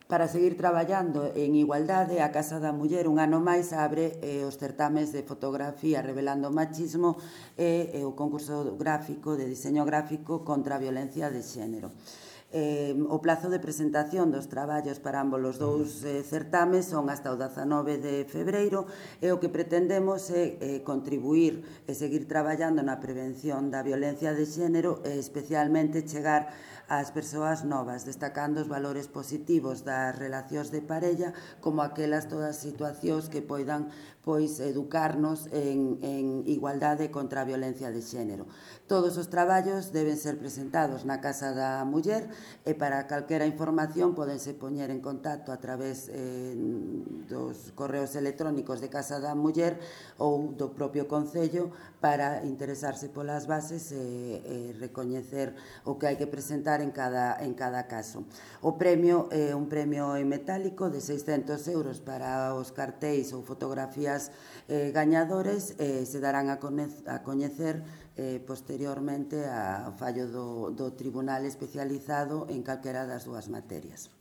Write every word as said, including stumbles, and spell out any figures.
Para seguir traballando en igualdade, a Casa da Muller un ano máis abre eh, os certames de fotografía revelando o machismo e eh, o concurso gráfico de diseño gráfico contra a violencia de xénero. Eh, o plazo de presentación dos traballos para ambos os dous eh, certames son hasta o dezanove de febreiro e o que pretendemos é eh, contribuir e seguir traballando na prevención da violencia de xénero e especialmente chegar ás persoas novas, destacando os valores positivos das relacións de parella como aquelas todas situacións que poidan pois educarnos en, en igualdade contra a violencia de xénero. Todos os traballos deben ser presentados na Casa da Muller e para calquera información podense poñer en contacto a través eh, dos correos electrónicos de Casa da Muller ou do propio Concello para interesarse polas bases e, e recoñecer o que hai que presentar en cada, en cada caso. O premio é un premio en metálico de seiscentos euros para os cartéis ou fotografías eh, gañadores e se darán a, a coñecer eh, posteriormente ao fallo do, do Tribunal especializado en calquera das dúas materias.